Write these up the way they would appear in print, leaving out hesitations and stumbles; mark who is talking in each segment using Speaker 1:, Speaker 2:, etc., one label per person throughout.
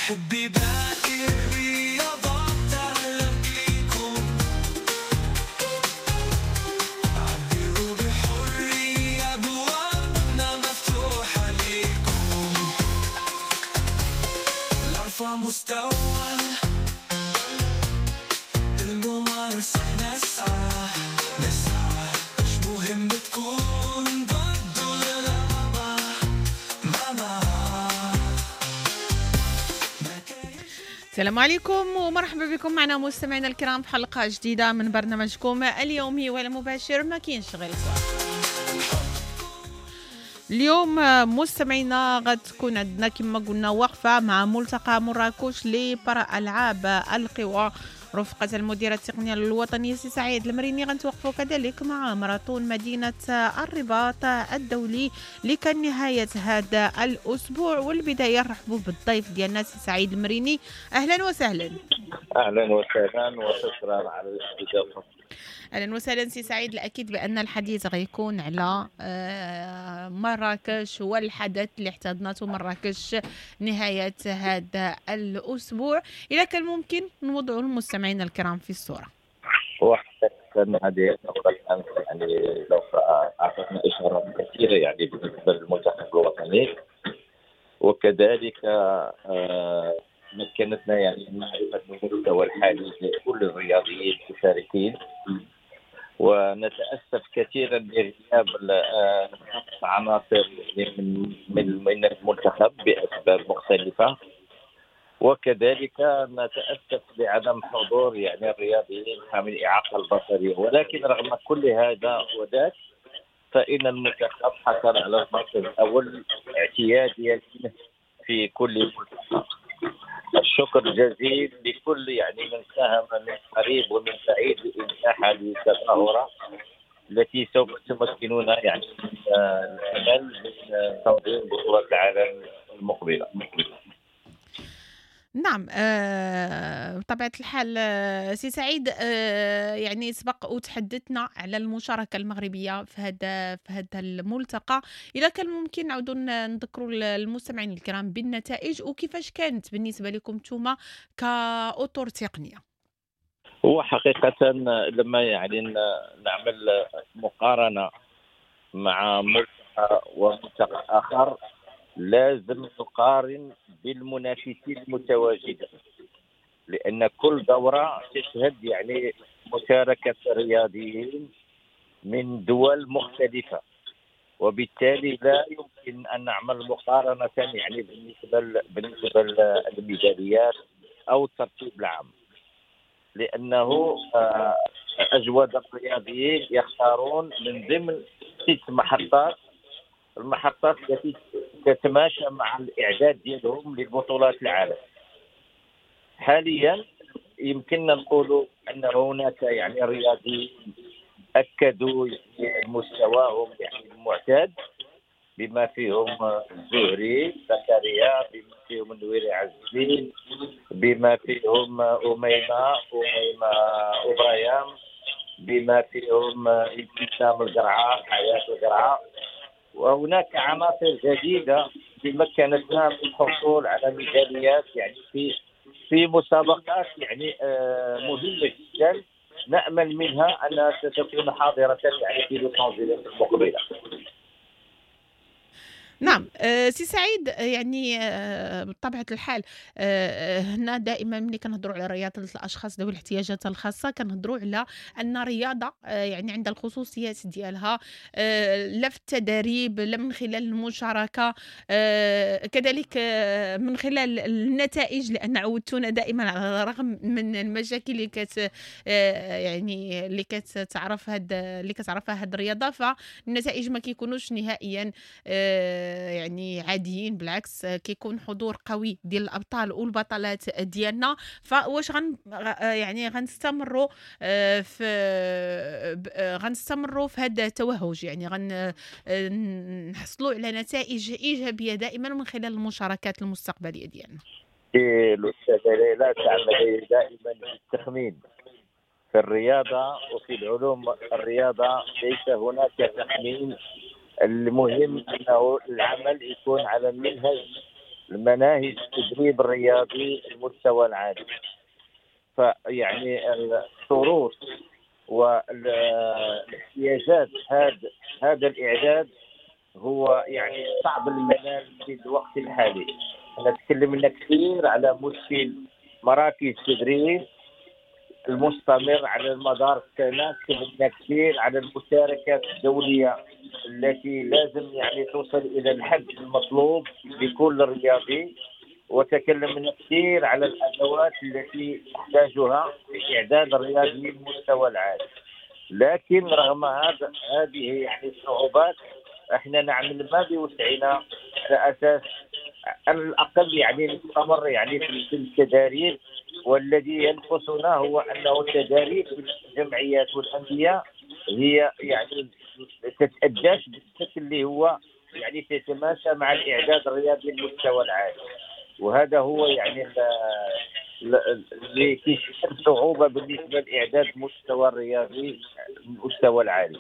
Speaker 1: محبي باقي الرياضات أهلا بيكم، عبروا بحرية أبوابنا مفتوحة ليكم، لأرفع مستوى الممارسة نسعى نسعى، مش مهم تكون ضد ولا لا ما.
Speaker 2: السلام عليكم ومرحبا بكم معنا مستمعينا الكرام في حلقة جديدة من برنامجكم اليومي والمباشر ما كاينش غير الكرة. اليوم مستمعينا غتكون عندنا كما قلنا وقفة مع ملتقى مراكش لبارا ألعاب القوى رفقة المديرة التقنية الوطنية سي سعيد المريني. غنتوقفوا كذلك مع ماراثون مدينة الرباط الدولي اللي كان نهاية هذا الأسبوع. والبداية نرحبوا بالضيف ديالنا سي سعيد المريني. أهلا وسهلا.
Speaker 3: أهلا وسهلا وشكرا على الاستضافة.
Speaker 2: أهلا وسهلا سي سعيد. الأكيد بأن الحديث غيكون على مراكش والحدث اللي احتضنته مراكش نهاية هذا الأسبوع. إذا كان ممكن نوضع المستمعين الكرام في الصورة.
Speaker 3: وحقيقة هذه النقطة الآن يعني لو أعطتنا إشارات كثيرة يعني بالنسبة للمنتخب الوطني، وكذلك مكنتنا يعني معرفة المستوى الحالي لكل الرياضيين المشاركين، ونتأسف كثيرا لغياب عناصر من المنتخب بأسباب مختلفة، وكذلك نتأسف لعدم حضور يعني الرياضيين حامل الإعاقة البصرية. ولكن رغم كل هذا وذاك فإن المنتخب حصل على المركز الأول اعتياديا في كل ملتقى. الشكر جزيل لكل يعني من ساهم من قريب ومن بعيد لإنجاح هذه التظاهرة التي سوف تمكننا يعني من الأمل من تنظيم بطولة العالم المقبلة.
Speaker 2: نعم، بطبيعة الحال سي سعيد، يعني سبق وتحدثنا على المشاركة المغربية في هذا الملتقى. إذا كان ممكن نعودوا نذكروا المستمعين الكرام بالنتائج وكيفاش كانت بالنسبة لكم نتوما كأطر تقنية.
Speaker 3: هو حقيقة لما يعني نعمل مقارنة مع ملتقى وملتقى آخر لازم نقارن بالمنافسين المتواجدين، لأن كل دورة تشهد يعني مشاركة رياضيين من دول مختلفة، وبالتالي لا يمكن أن نعمل مقارنة يعني بالنسبة للميداليات أو الترتيب العام، لأنه أجود الرياضيين يختارون من ضمن 6 محطات، المحطات التي تتماشى مع الإعداد ديالهم للبطولات العالم. حاليا يمكننا نقول أن هناك يعني رياضيين أكدوا يعني مستواهم يعني المعتاد، بما فيهم الزهري زكريا، بما فيهم النويري عزيز، بما فيهم أميمة أوبرايام، بما فيهم ابتسام القرعة، حياة القرعة. وهناك عناصر جديدة مكنتنا من الحصول على ميداليات يعني في مسابقات يعني مهمة جدا، نأمل منها أنها ستكون حاضرة يعني في لوس أنجلوس المقبلة.
Speaker 2: نعم، سي سعيد، يعني بطبيعة الحال هنا دائما ملي كنهضروا على رياضة الأشخاص ذوي الاحتياجات الخاصة كنهضروا على أن رياضة يعني عندها الخصوصيات ديالها، لا في التدريب لا من خلال المشاركة، كذلك من خلال النتائج، لأن عودتونا دائما على الرغم من المشاكل اللي كت يعني اللي كتعرف هاد اللي كتعرفها هاد الرياضة، فالنتائج ما كيكونوش نهائيا يعني عاديين، بالعكس كيكون حضور قوي ديال الابطال والبطلات ديالنا. فواش يعني غنستمروا في غنستمروا في هذا التوهج، يعني غنحصلوا على نتائج ايجابية دائما من خلال المشاركات المستقبلية ديالنا؟
Speaker 3: الاستاذة ليلى تعمل دائما بالتخمين في الرياضة وفي العلوم الرياضة، ليس هناك تخمين. المهم أنه العمل يكون على المنهج المناهج التدريب الرياضي المستوى العالي. فيعني الشروط والاحتياجات هذا الإعداد هو يعني صعب المنال في الوقت الحالي. احنا تكلمنا كثير على مشكل مراكز التدريب المستمر على المدار السنة، تكلمنا كثير على المشاركات الدولية التي لازم يعني توصل إلى الحد المطلوب لكل رياضي، وتكلمنا كثير على الأدوات التي نحتاجها في إعداد الرياضي للمستوى العالي. لكن رغم هذه يعني الصعوبات احنا نعمل ما بوسعنا على أساس على الأقل يعني نستمر يعني في التداريب. والذي ينقصنا هو أنه التداريب الجمعيات والأندية هي يعني تتأداش بالشكل اللي هو يعني تتماشى مع الإعداد الرياضي للمستوى العالي، وهذا هو يعني اللي كيشكل صعوبة بالنسبة لإعداد المستوى الرياضي المستوى العالي.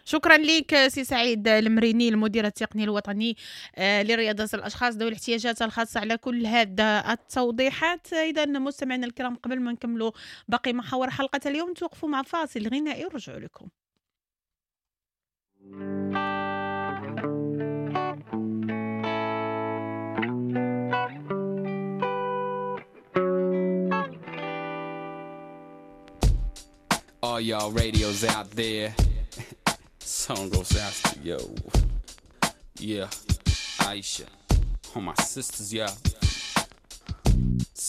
Speaker 2: شكرا لك سي سعيد المريني، المدير التقني الوطني لرياضة الأشخاص ذوي الاحتياجات الخاصة، على كل هذا التوضيحات. إذا مستمعينا الكرام، قبل ما نكملوا باقي محاور حلقة اليوم، توقفوا مع فاصل غنائي ورجعوا لكم.
Speaker 4: All y'all radios out there, song goes out to yo. Yeah, Aisha, all my sisters, yeah.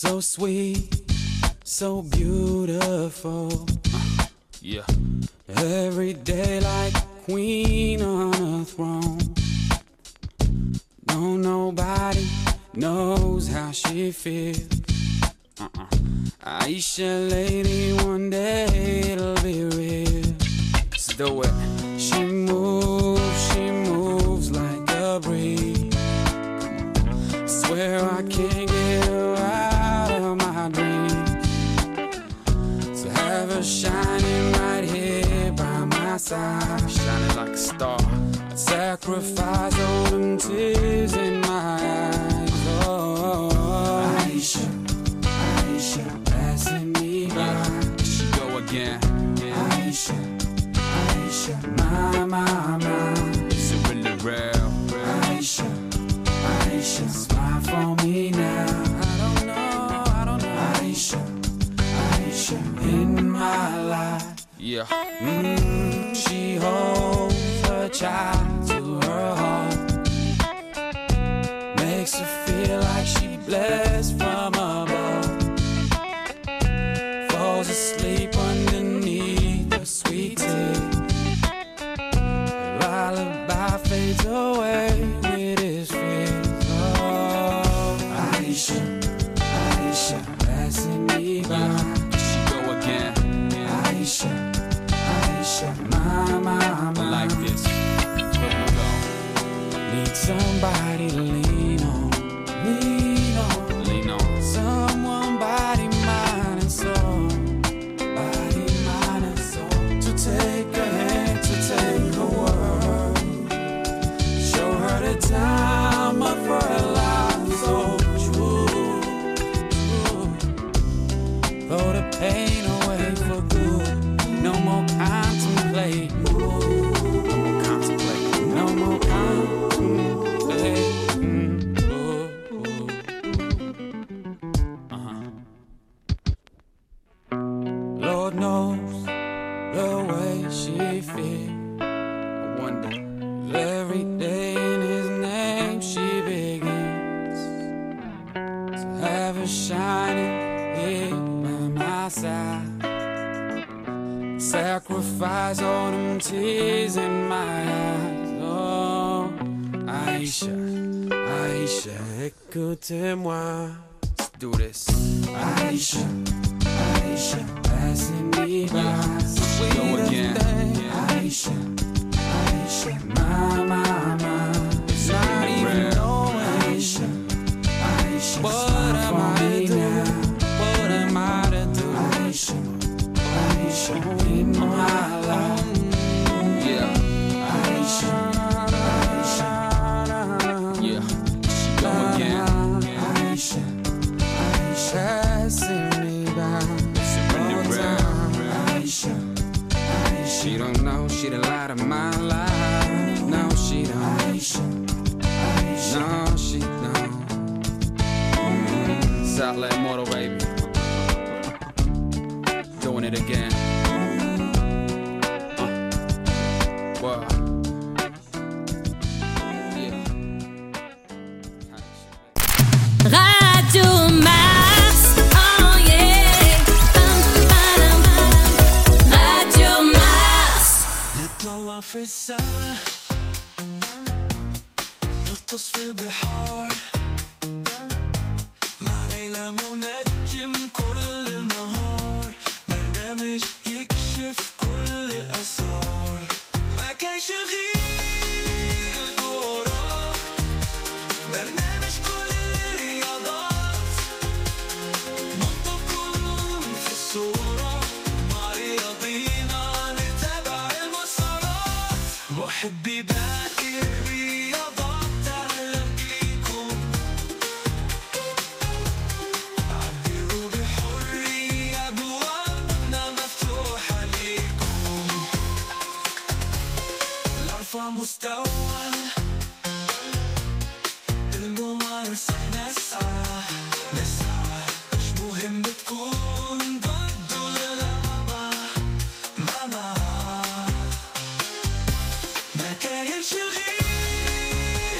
Speaker 4: So sweet, so beautiful. Yeah. Every day like a queen on a throne. No, nobody knows how she feels. Aisha, lady, one day it'll be real. Let's do it. She moves like a breeze. Swear I can't get her out of my dreams. So have her shining right here by my side, shining like a star. I'd sacrifice all them tears in my eyes. Oh, Aisha, Aisha, passing me by. She go again. Aisha, Aisha, my, my, my. Is it really real? Aisha, Aisha, smile for me now. I don't know, I don't know. Aisha, Aisha, in my life. Yeah. She holds her child to her heart. Makes her feel like she blessed from above. Falls asleep underneath the sweet tea. Lullaby fades away with his fears. Oh, Aisha, Aisha, passing me by. She go again. Aisha, Aisha, my, my, my. Like this. Here we go. Need somebody to lean on, lean on, lean on. Someone body, mind, and soul. Body, mind, and soul. To take a hand, to take a word. Show her the time of her life, so true, true. Throw the pain away for good. No more contemplate. No more contemplate. No more contemplate. Uh-huh. Lord knows the way she feels. I wonder. Every day in his name she begins to have her shining here by my side. Sacrifice all them tears in my eyes. Oh, Aisha, Aisha, écoutez-moi. Let's do this. Aisha, Aisha, passing me by. Go again. Aisha, Aisha, my, my, my. It's not even knowing. Aisha, Aisha, what am I to do? What am I to do? Aisha, Aisha, in my life. Yeah. Aisha, Aisha. Yeah. She La Immortal, baby. Doing it again. Wow. Yeah.
Speaker 5: Radio Mars, oh yeah. Radio Mars.
Speaker 1: نطلع في السما، نغطس في البحار، مع ليلى منجم كل النهار، برنامج يكشف كل الأسرار، ما كانش غير الكورة، برنامج كل الرياضات، نحطكم في الصورة، مع رياضينا نتابع المسارات، محبي باقي الرياضات أهلا بيكم، عبروا بحرية أبوابنا مفتوحة ليكم، لأرفع مستوى الممارسة، نسعى نسعى، مش مهم تكون ضد ولا لا، مع ما كاينش غير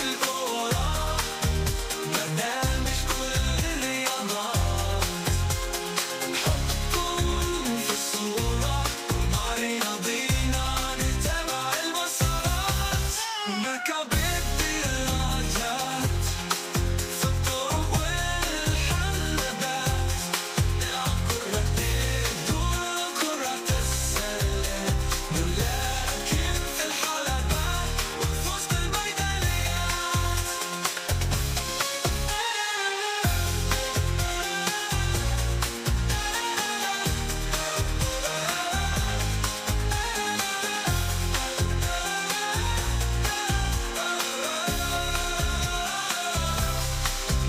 Speaker 1: الكورة، برنامج كل الرياضات، نحطكم في الصورة، مع رياضينا نتابع المسارات، مكعبات الدراجات في الطرق والحلبات، نلعب كرة الدور كرة السلة، نلاكم في الحلبات ونفوز بالميداليات.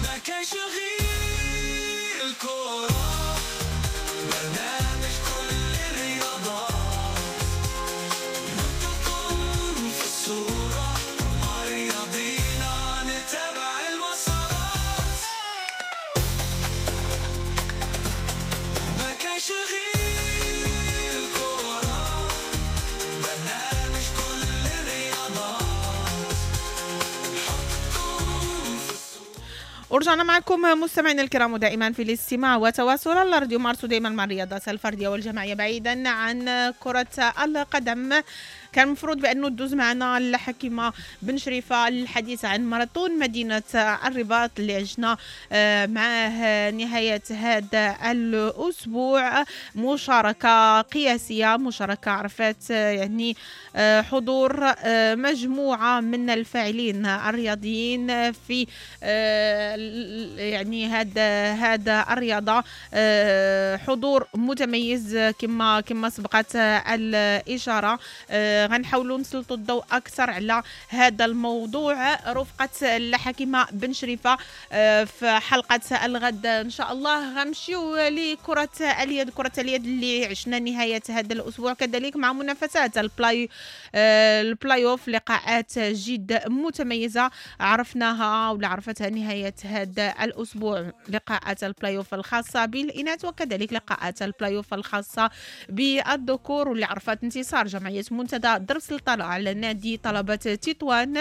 Speaker 1: ما كانش غير الكورة، برنامج كل الرياضات، نحطكم في الصورة، مع رياضينا نتابع المسارات، ما كانش غير الكورة، برنامج كل الرياضات، نحطكم في الصورة.
Speaker 2: ورجعنا معكم مستمعينا الكرام دائما في الاستماع وتواصل على راديو مارس، دائما مع الرياضات الفردية والجماعيه بعيدا عن كره القدم. كان المفروض بانه تدوز معنا الحكيمة بن شريفه للحديث عن ماراثون مدينة الرباط اللي عشنا معاه نهاية هذا الاسبوع، مشاركة قياسية، مشاركة عرفت يعني حضور مجموعة من الفاعلين الرياضيين في يعني هذا الرياضة، حضور متميز كما سبقت الاشارة. غنحاولوا نسلطوا الضوء اكثر على هذا الموضوع رفقه الحكيمة بن شريفه في حلقة الغد ان شاء الله. غنمشيو لكرة اليد، كره اليد اللي عشنا نهاية هذا الاسبوع كذلك مع منافسات البلاي اوف، لقاءات جد متميزة عرفناها ولا عرفتها نهاية هذا الاسبوع، لقاءات البلاي اوف الخاصة بالاناث وكذلك لقاءات البلاي اوف الخاصة بالذكور، واللي عرفت انتصار جمعية منتدى درب سلطانه على نادي طلبه تطوان.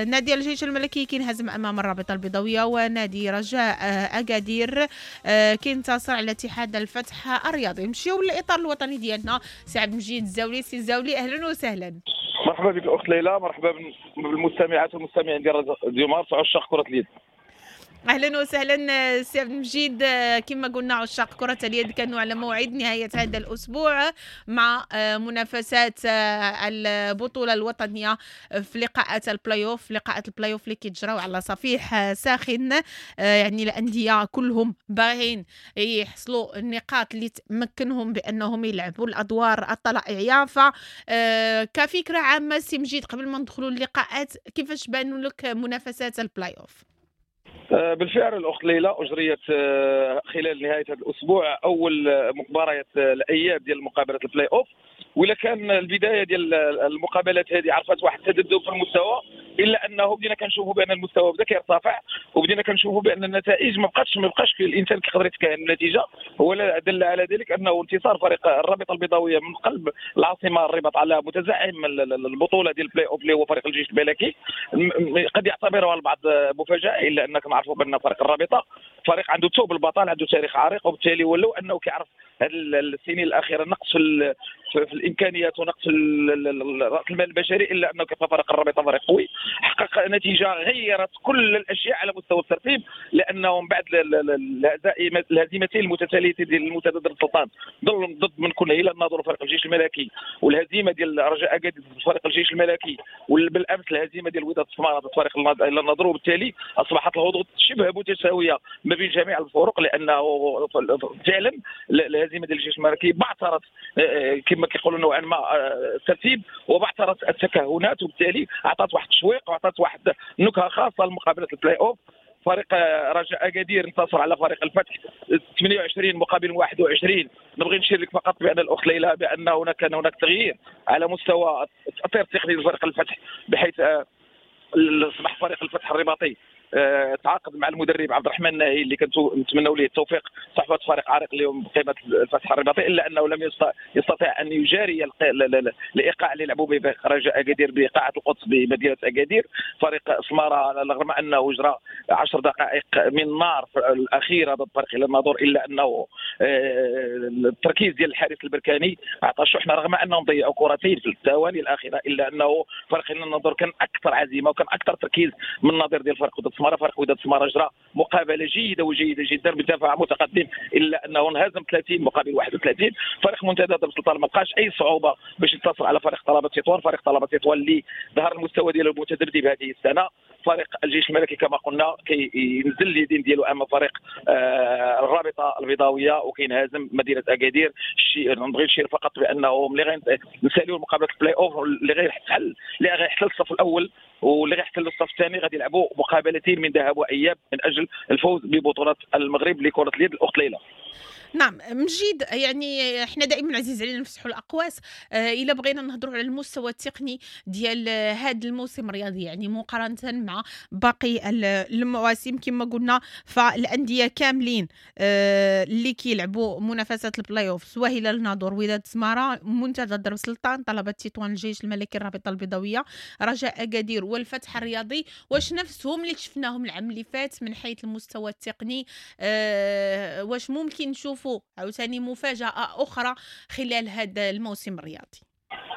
Speaker 2: نادي الجيش الملكي كينهزم امام الرابطة البيضاوية، ونادي رجاء اكادير كينتصر على اتحاد الفتح الرياضي. نمشيو للاطار الوطني ديالنا، سي عبد المجيد الزاولي. سي الزاولي اهلا وسهلا.
Speaker 6: مرحبا بك الاخت ليلى، مرحبا بالمستمعات والمستمعين ديال راديو مارس عشاق كره اليد.
Speaker 2: اهلا وسهلا سي عبد المجيد. كما قلنا عشاق كرة اليد كانوا على موعد نهاية هذا الاسبوع مع منافسات البطولة الوطنية في لقاءات البلاي اوف، لقاءات البلاي اوف اللي كيتجراو على صفيح ساخن، يعني الاندية كلهم باغين يحصلوا النقاط اللي تمكنهم بانهم يلعبوا الادوار الطلائعية. ف كفكرة عامة سي مجيد قبل ما ندخلوا اللقاءات، كيفاش بانوا لك منافسات البلاي اوف؟
Speaker 6: بالفعل الأخت ليلى، أجريت خلال نهاية هذا الأسبوع أول مباريات الأياب ديال مقابلة البلاي أوف، وإلا كان البداية ديال المقابلات هذه عرفت واحد التذبذب في المستوى، الا انه بدينا كنشوفوا بان المستوى بدا كيرتفع، وبدينا كنشوفوا بان النتائج ما بقاش الانسان كيقدر يتكهن النتيجة. ولا دل على ذلك انه انتصار فريق الرابطة البيضاوية من قلب العاصمة الرباط على متزعم البطولة ديال البلاي اوف اللي هو فريق الجيش الملكي، قد يعتبرها البعض مفاجاة، الا انك نعرفوا بان فريق الرابطة فريق عنده ثوب البطل، عنده تاريخ عريق، وبالتالي ولو انه كيعرف هذه السنين الاخيرة نقص في الامكانيات ونقص راس المال البشري، الا انه كيبقى فريق الرابطة فريق قوي، حقق نتيجة غيرت كل الاشياء على مستوى الترتيب، لانه من بعد الهزيمتين المتتاليتين ديال المنتدى درب السلطان ضد من كل هلال الناظور فريق الجيش الملكي، والهزيمة ديال رجاء اكادير ضد فريق الجيش الملكي، وبالامس الهزيمة ديال وداد السماره ضد فريق هلال الناظور، وبالتالي اصبحت الهضوط شبه متساوية ما بين جميع الفرق، لانه فعلا الهزيمة ديال الجيش الملكي بعثرت كما كيقولوا نوعا ما الترتيب، وبعثرت التكهنات، وبالتالي اعطت واحد التشويق واعطت واحد النكهة خاصة لمقابلة البلاي اوف. فريق رجاء اكادير انتصر على فريق الفتح 28 مقابل 21. نبغي نشير لك فقط بان الاخت ليلى بان هناك كان هناك تغيير على مستوى التأطير التقني لفريق الفتح، بحيث اصبح فريق الفتح الرباطي تعاقد مع المدرب عبد الرحمن الناهي اللي كنتو نتمنوا ليه التوفيق، صحبه فريق عريق اليوم بقيمة الفتح الرباطي، الا انه لم يستطيع ان يجاري الايقاع اللي لعبوا به رجاء اكادير بقاعه القدس بمدينة اكادير. فريق سماره رغم انه جرى 10 دقائق من نار الاخيرة ضد فريق هلال الناظور، الا انه التركيز ديال الحارس البركاني اعطى شحنه، رغم انهم ضيعوا كرتين في الثواني الاخيرة، الا انه فريق هلال الناظور كان اكثر عزيمة وكان اكثر تركيز من النظير ديال فريق وداد سماره. فريق وداد سماره جرى مقابله جيدة وجيده جدا بدفاع متقدم، الا انه انهزم 30 مقابل 31. فريق منتدى درب السلطان ما لقاش اي صعوبة باش ينتصر على فريق طلبه تطوان، فريق طلبه تطوان اللي ظهر المستوى ديالو المتذبذب هذه السنة. فريق الجيش الملكي كما قلنا كينزل اليدين ديالو امام فريق الرابطة البيضاوية وكينهزم مدينة اكادير. نبغي نشير فقط بانه ملي غنساليو مقابله البلاي اوف اللي غيحتل الصف الاول واللي غيحتل الصف الثاني غادي يلعبوا مقابلتين من ذهب واياب من اجل الفوز ببطولة المغرب لكرة اليد. الاخت ليلى.
Speaker 2: نعم مجيد، يعني احنا دائما عزيز علينا نفتحوا الاقواس. الا بغينا نهضروا على المستوى التقني ديال هذا الموسم الرياضي، يعني مقارنة مع باقي المواسم كما قلنا، فالانديه كاملين اللي كيلعبوا منافسات البلاي اوف، سواء هلال الناظور، وداد سماره، منتدى درب السلطان، طلبه تطوان، الجيش الملكي، الرابطة البيضاوية، رجاء اكادير والفتح الرياضي، واش نفسهم اللي شفناهم العام اللي فات من حيث المستوى التقني؟ واش ممكن نشوفوا عاوتاني مفاجأة أخرى خلال هذا الموسم الرياضي؟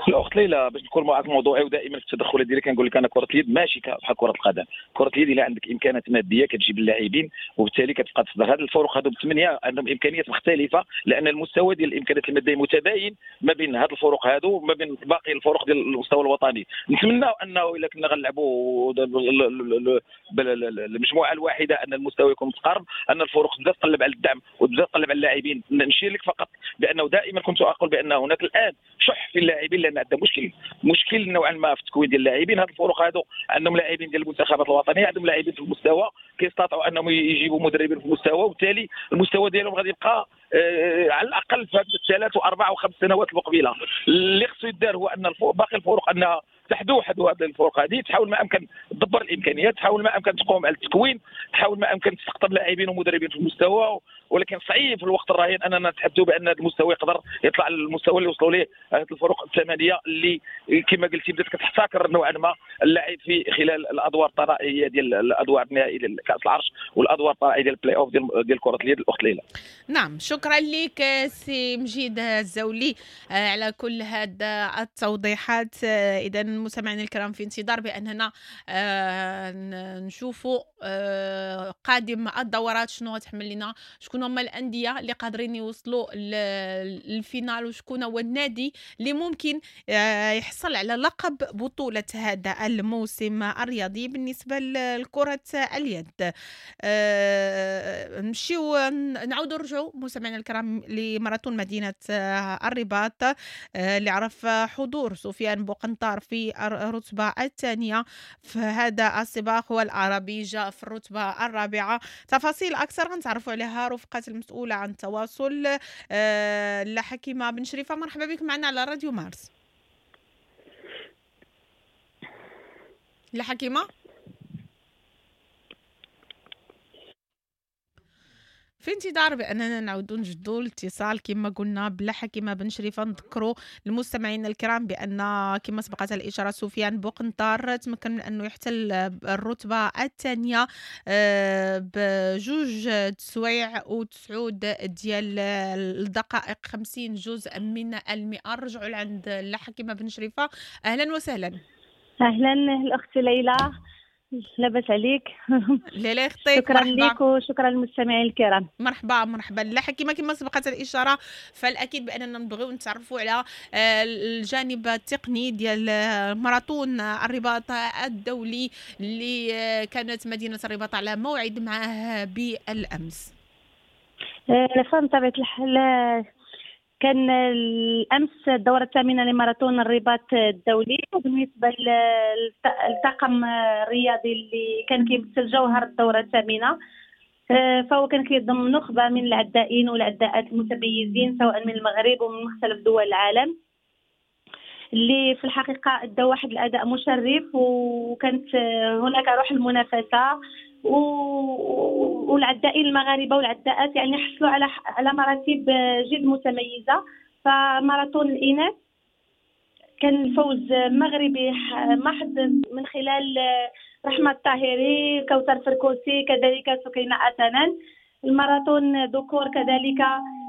Speaker 6: الاخت ليلى باش نكون معك موضوعي ودائما في التدخلات ديالي كنقول لك انا كره اليد ماشي بحال كره القدم. كره اليد الا عندك امكانات مادية كتجيب اللاعبين وبالتالي كتبقى تصدر. هاد الفرق هادو بثمانية عندهم امكانيات مختلفة، لان المستوى ديال الامكانيات المادية متباين ما بين هاد الفرق هادو وما بين باقي الفرق ديال المستوى الوطني. نتمنى انه الا كنا غنلعبوا بالمجموعة الواحدة ان المستوى يكون متقارب، ان الفرق تبدا تقلب على الدعم وتبدا تقلب على اللاعبين. نشير لك فقط بانه دائما كنت اقول بان هناك الان شح في اللاعبين، لان عندنا مشكل نوعا ما في التكوين ديال اللاعبين. هاد الفرق هادو عندهم لاعبين ديال المنتخبات الوطنية، عندهم لاعبين في المستوى، كيستطيعوا انهم يجيبوا مدربين في المستوى، وبالتالي المستوى ديالهم غادي يبقى على الاقل في هاد الثلاث واربع وخمس سنوات المقبلة. اللي خصو يدار هو ان باقي الفرق انها تحدو هذه الفرق هذه، تحاول ما امكن تدبر الامكانيات، تحاول ما امكن تقوم على التكوين، تحاول ما امكن تستقطب لاعبين ومدربين في المستوى. ولكن صعيب في الوقت الراهن اننا نتحدثوا بان هذا المستوى يقدر يطلع للمستوى اللي وصلوا ليه هذه الفرق الثمانية اللي كما قلتي بدات كتحتكر نوعا ما اللعب في خلال الادوار الطرائيه ديال الادوار النهائية ديال كاس العرش والادوار الطرائيه ديال البلاي اوف ديال كره اليد. الاخت ليلى.
Speaker 2: نعم شكرا لك سي مجيد الزولي على كل هذا التوضيحات. اذا مستمعينا الكرام في انتظار باننا نشوفوا قادم الدورات شنو غتحمل لنا، شكون هما الاندية اللي قادرين يوصلوا لل finale، وشكون هو النادي اللي ممكن يحصل على لقب بطوله هذا الموسم الرياضي بالنسبة لكرة اليد. نمشيو نعاودوا نرجعوا مستمعينا الكرام لماراثون مدينة الرباط اللي عرف حضور سفيان بوقنطار في الرتبة الثانية في هذا السباق، والعربي جاء في الرتبة الرابعة. تفاصيل اكثر غنتعرفوا عليها رفقه المسؤولة عن التواصل حكيمة بن شريفه. مرحبا بك معنا على راديو مارس. لا حكيمة، في انتظار باننا نعاودوا نجدوا الاتصال كما قلنا بلا حكيمة بن شريفه. نذكروا المستمعين الكرام بان كما سبقت الاشارة سفيان بوقنطار تمكن من انه يحتل الرتبة الثانية بجوج سوايع و9 ديال الدقائق 50 جزء من المئة. رجعوا لعند لا حكيمة بن شريفه. اهلا وسهلا.
Speaker 7: اهلا الاخت ليلى، لاباس عليك؟
Speaker 2: لا يخطيك.
Speaker 7: شكرا لك وشكرا للمستمعين الكرام.
Speaker 2: مرحبا مرحبا. لا حكيمة، كما سبقت الاشارة فالاكيد باننا نبغيو نتعرفوا على الجانب التقني ديال ماراثون الرباط الدولي اللي كانت مدينة الرباط على موعد معه بالامس.
Speaker 7: بطبيعة الحال كان الأمس الدورة الثامنة لماراثون الرباط الدولي، وبالنسبة للطاقم الرياضي اللي كان كيمثل جوهر الدورة الثامنة فهو كان كيضم نخبة من العدائين والعداءات المتميزين سواء من المغرب ومن مختلف دول العالم، اللي في الحقيقة أدى واحد الأداء مشرف، وكانت هناك روح المنافسة، والعدائين المغاربة والعداءات يعني حصلوا على مراتب جد متميزة. فماراثون الاناث كان الفوز مغربي محض من خلال رحمه الطاهري، كوثر فركوسي، كذلك سكينة اتنان. الماراثون ذكور كذلك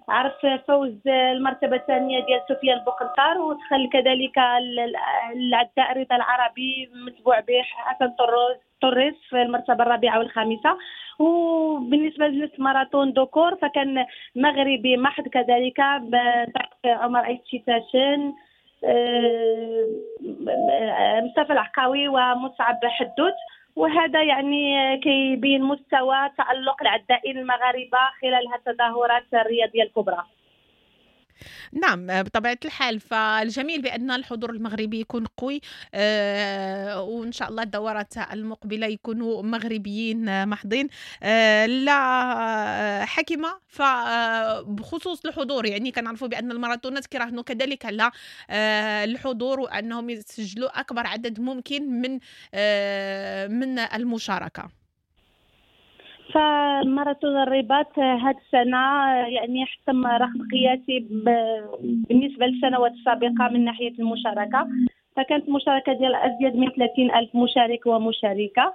Speaker 7: عرف فوز المرتبة الثانية ديال سفيان بوقنطار، ودخل كذلك العداء رضا العربي متبوع به حسن طريس في المرتبة الرابعة والخامسة. وبالنسبة للماراثون ذكور فكان مغربي محض كذلك عمر ايتشيتاشن، مصطفى العقاوي، ومصعب حدوت. وهذا يعني كيبين مستوى تألق العدائين المغاربة خلال التظاهرات الرياضية الكبرى.
Speaker 2: نعم بطبيعة الحال، فالجميل بأن الحضور المغربي يكون قوي، وإن شاء الله الدورات المقبلة يكونوا مغربيين محضين. لا حكمة، فبخصوص الحضور يعني كنعرفوا بأن الماراثونات كيراهنوا كذلك على الحضور وأنهم يسجلوا أكبر عدد ممكن من المشاركة.
Speaker 7: فماراثون الرباط هذه السنة يعني حتم رقم قياسي بالنسبة للسنوات السابقة من ناحية المشاركة، فكانت مشاركة ديال أزيد من 30 ألف مشارك ومشاركة،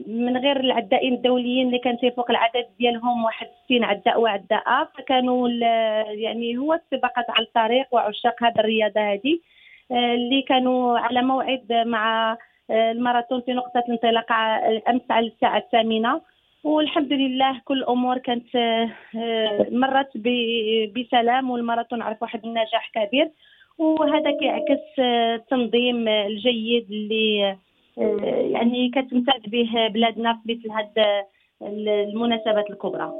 Speaker 7: من غير العدائين الدوليين اللي كان تيفوق العدد ديالهم 61 عداء وعداءة. فكانوا يعني هو السباقات على الطريق وعشاق هذه الرياضة هذه اللي كانوا على موعد مع الماراثون في نقطة الانطلاق الأمس على الساعة 8، والحمد لله كل الأمور كانت مرت بسلام، والماراثون عرف واحد النجاح كبير، وهذا كيعكس التنظيم الجيد اللي يعني كتمتاز به بلادنا في مثل هذه المناسبات الكبرى.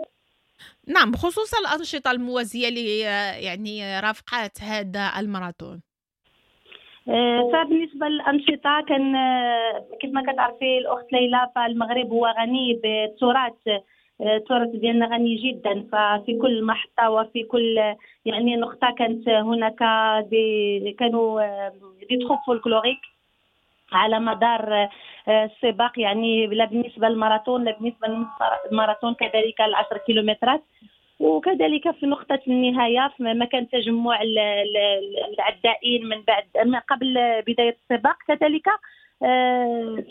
Speaker 2: نعم، بخصوص الأنشطة الموازية اللي يعني رافقات هذا الماراثون.
Speaker 7: فبالنسبة للأنشطة كان كيف ما كتعرفي الأخت ليلى فالمغرب هو غني بالتراث، التراث ديالنا غني جدا، ففي كل محطة وفي كل يعني نقطة كانت هناك كانوا des troupes folkloriques على مدار السباق، يعني لا بالنسبة للماراثون لا بالنسبة للماراثون كذلك 10 كيلومترات، وكذلك في نقطة النهاية في مكان تجمع العدائين من بعد من قبل بداية السباق، كذلك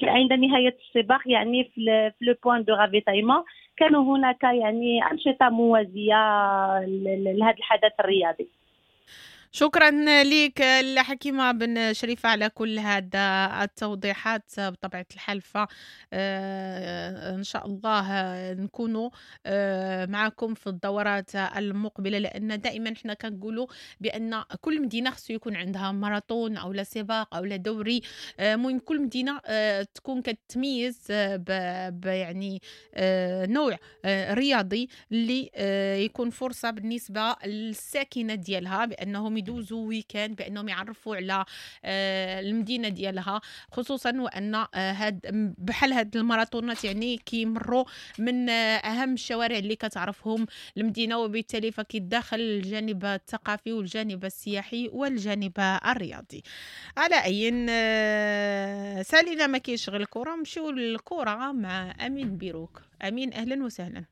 Speaker 7: عند نهاية السباق يعني في le point de ravitaillement كانوا هناك يعني أنشطة موازية لهذا الحدث الرياضي.
Speaker 2: شكرا لك الحكيمة بن شريفة على كل هذا التوضيحات. بطبيعة الحال إن شاء الله نكونوا معكم في الدورات المقبلة، لأن دائما احنا كنقولوا بأن كل مدينة خصو يكون عندها ماراثون أو لا سباق أو لا دوري، المهم كل مدينة تكون كتميز يعني نوع رياضي اللي يكون فرصة بالنسبة للساكنة ديالها بأنهم يدوزوا week-end، بانهم يعرفوا على المدينة ديالها، خصوصا وان هاد بحال هاد الماراثونات يعني كيمروا من اهم الشوارع اللي كتعرفهم المدينه، وبالتالي فكيدخل الجانب الثقافي والجانب السياحي والجانب الرياضي. على اي سالينا ما كاينش غير الكره، نمشيو للكرة مع امين بيروك. امين اهلا وسهلا.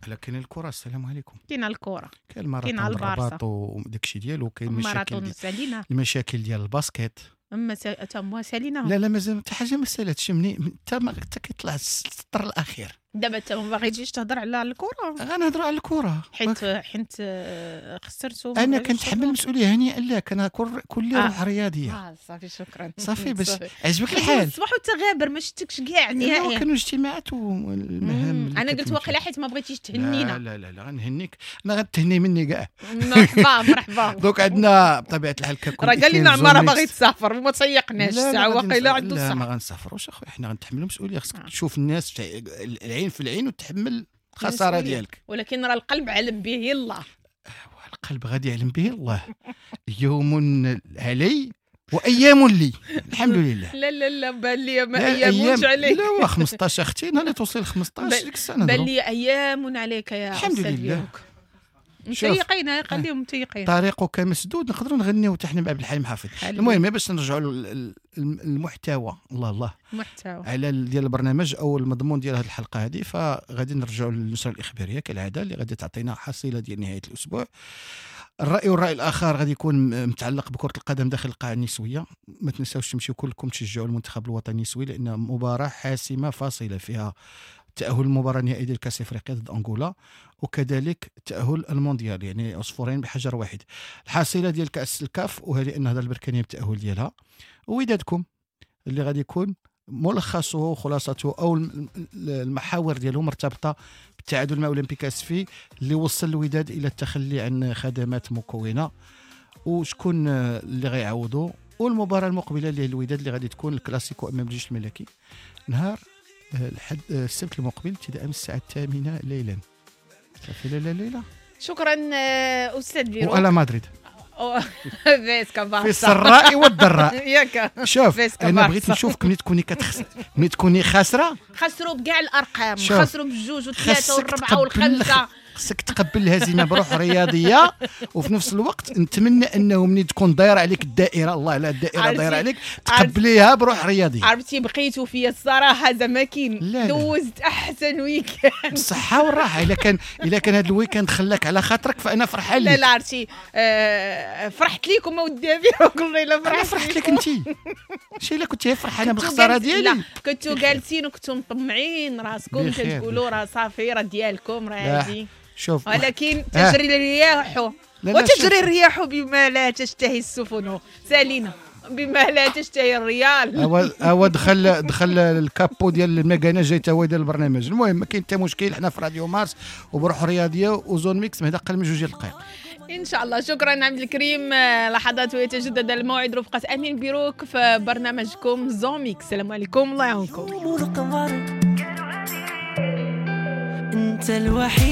Speaker 8: لا كاين الكره، السلام عليكم.
Speaker 2: كاين الكره،
Speaker 8: كاين الماراثون الرباط وداك الشيء ديالو، كاين المشاكل ديال المشاكل ديال ال basket.
Speaker 2: اما تا سالينا؟
Speaker 8: لا لا مازال حتى حاجة ما سالاتش، مني حتى كيطلع السطر الاخير.
Speaker 2: دابا انت ما باغيش تهضر على الكره؟
Speaker 8: غنهضروا على الكره
Speaker 2: حيت خسرتو.
Speaker 8: انا كنتحمل المسؤولية، هنيئا لك، انا كل روح رياضية.
Speaker 2: صافي شكرا،
Speaker 8: صافي باش عجبك الحال.
Speaker 2: الصباح وانت غابر ما شفتكش كاع نهائيا.
Speaker 8: كانوا اجتماعات والمهام.
Speaker 2: انا قلت واقيلا حيت ما بغيتيش تهنينا.
Speaker 8: لا لا لا, لا غنهنيك، انا غتهني مني كاع.
Speaker 2: مرحبا مرحبا.
Speaker 8: donc عندنا بطبيعة الحال ككل
Speaker 2: راه قال لنا عمارة باغي تسافر وما تسيقناش الساعة، واقيلا عنده الصح.
Speaker 8: لا ما غنسافروش اخويا، حنا غنتحملوا المسؤولية. خصك تشوف الناس العين في العين وتحمل الخسارة ديالك،
Speaker 2: ولكن راه القلب علم به الله.
Speaker 8: القلب غادي يعلم به الله. يوم علي وايام لي، الحمد لله.
Speaker 2: لا لا لا بان لي ما ايامش عليك.
Speaker 8: لا هو 15 اختي، نهار اللي توصل 15 ديك السنة
Speaker 2: بان لي ايام عليك يا
Speaker 8: الحمد لله.
Speaker 2: متيقين، خليهم متيقين.
Speaker 8: طريقك مسدود، نقدروا نغنيو حتى حنا مع عبد الحليم حافظ. المهم باش نرجعوا للمحتوى، الله الله
Speaker 2: المحتوى
Speaker 8: على ديال البرنامج او المضمون ديال هذه الحلقة هذه، فغادي نرجعوا للنشره الاخبارية كالعادة اللي غادي تعطينا حصيله ديال نهاية الاسبوع. الراي والراي الاخر غادي يكون متعلق بكره القدم داخل القاعة النسوية. ما تنساوش تمشيو كلكم تشجعوا المنتخب الوطني النسوي، لان مباراة حاسمة فاصلة فيها تأهل المباراة النهائية ديال كأس إفريقيا ضد أنغولا، وكذلك تأهل المونديال، يعني عصفورين بحجر واحد. الحصيلة ديال كأس الكاف، وهذه النهضة البركانية بالتأهل ديالها، وودادكم اللي غادي يكون ملخصه وخلاصته أو المحاور ديالو مرتبطة بالتعادل مع أولمبيك أسفي اللي وصل الوداد إلى التخلي عن خدمات مكونة، وشكون اللي غيعوضو، والمباراة المقبلة اللي هي الوداد اللي غادي تكون الكلاسيكو أمام الجيش الملكي نهار الحد السبت المقبل ابتداء من الساعة 8 ليلا. صافي لا ليلة.
Speaker 2: شكرا أستاذ بيرو.
Speaker 8: وألا مدريد
Speaker 2: فيسكا بارسا
Speaker 8: في السراء والضراء.
Speaker 2: ياك
Speaker 8: شوف انا بغيت نشوفك ملي تكوني ملي تكوني خاسرة.
Speaker 2: خسروا بكاع الارقام، خسروا بجوج وثلاثة والربعه والخمسة.
Speaker 8: خصك تقبل الهزيمة بروح رياضية، وفي نفس الوقت نتمنى انه ملي تكون دايرة عليك الدائرة، الله على الدائرة دايرة عليك، تقبليها بروح رياضية.
Speaker 2: عرفتي بقيتوا فيا الصراحة زعما كاين دوزت احسن week-end
Speaker 8: بالصحة والراحة. الا كان هذا ال week-end خلاك على خاطرك فانا فرحان لك.
Speaker 2: لا لا عرفتي فرحت لكم اودي والله الا
Speaker 8: فرحت لك انت. شي الا كنتي فرحانة بالخساره ديالي.
Speaker 2: لا كنتو جالسين وكنتو مطمعين راسكم كتقولوا راه صافي راه ديالكم راه هادي.
Speaker 8: شوف
Speaker 2: ولكن تجري الرياح وتجري الرياح بما لا تشتهي السفن. سالينا بما لا تشتهي الريال.
Speaker 8: هو دخل ال capot ديال المكانة جاي تا هو ديال البرنامج. المهم ما كاين حتى مشكل، حنا في راديو مارس وبروح رياضية و Zone Mixte هذا اقل من 2 دقائق
Speaker 2: ان شاء الله. شكرا عبد الكريم. لحظات ويتجدد الموعد رفقه امين بيروك في برنامجكم Zone Mixte. السلام عليكم، الله يعاونكم.
Speaker 1: انت الوحيد.